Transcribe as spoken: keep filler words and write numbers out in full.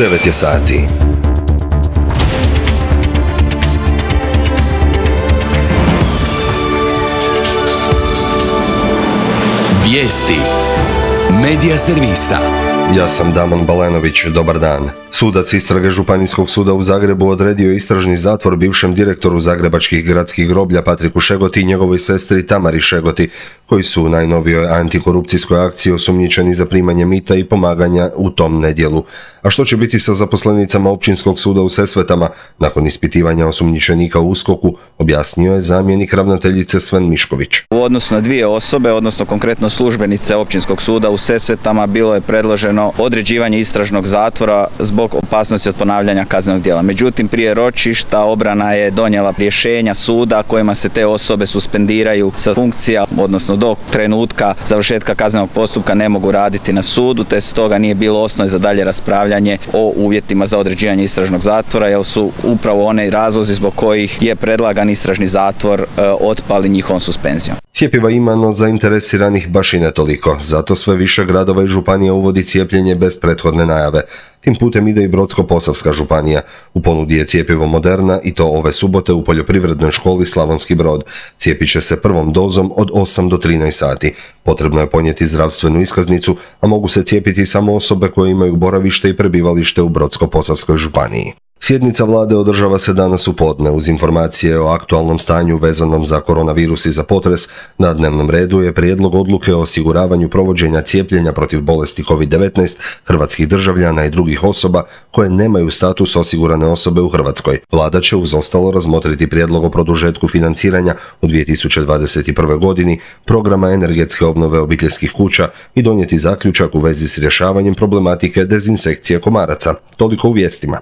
devet je sati. Vijesti Medija servisa. Ja sam Damon Balenović, dobar dan. Sudac istrage Županijskog suda u Zagrebu odredio istražni zatvor bivšem direktoru zagrebačkih gradskih groblja Patriku Šegoti i njegovoj sestri Tamari Šegoti, koji su u najnovijoj antikorupcijskoj akciji osumnjičeni za primanje mita i pomaganja u tom nedjelu. A što će biti sa zaposlenicama Općinskog suda u Sesvetama nakon ispitivanja osumnjičenika u uskoku, objasnio je zamjenik ravnateljice Sven Mišković. U odnosu na dvije osobe, odnosno konkretno službenice Općinskog suda u Sesvetama, bilo je predloženo određivanje istražnog zatvora zbog opasnosti od ponavljanja kaznenog djela. Međutim, prije ročišta obrana je donijela rješenja suda kojima se te osobe suspendiraju sa funkcija, odnosno do trenutka završetka kaznenog postupka ne mogu raditi na sudu, te stoga nije bilo osnove za dalje raspravljanje o uvjetima za određivanje istražnog zatvora, jer su upravo one razlozi zbog kojih je predlagan istražni zatvor e, otpali njihovom suspenzijom. Cjepiva ima, no zainteresiranih baš i ne toliko, zato sve više gradova i županija uvodi cijepljenje bez prethodne najave. Tim putem ide i Brodsko-posavska županija. U ponudi je cjepivo Moderna i to ove subote u poljoprivrednoj školi Slavonski Brod. Cijepit će se prvom dozom od osam do trinaest sati. Potrebno je ponijeti zdravstvenu iskaznicu, a mogu se cijepiti samo osobe koje imaju boravište i prebivalište u Brodsko-posavskoj županiji. Sjednica vlade održava se danas u podne. Uz informacije o aktualnom stanju vezanom za koronavirus i za potres, na dnevnom redu je prijedlog odluke o osiguravanju provođenja cijepljenja protiv bolesti kovid devetnaest hrvatskih državljana i drugih osoba koje nemaju status osigurane osobe u Hrvatskoj. Vlada će uz ostalo razmotriti prijedlog o produžetku financiranja u dvije tisuće dvadeset prve. godini programa energetske obnove obiteljskih kuća i donijeti zaključak u vezi s rješavanjem problematike dezinsekcije komaraca. Toliko u vijestima.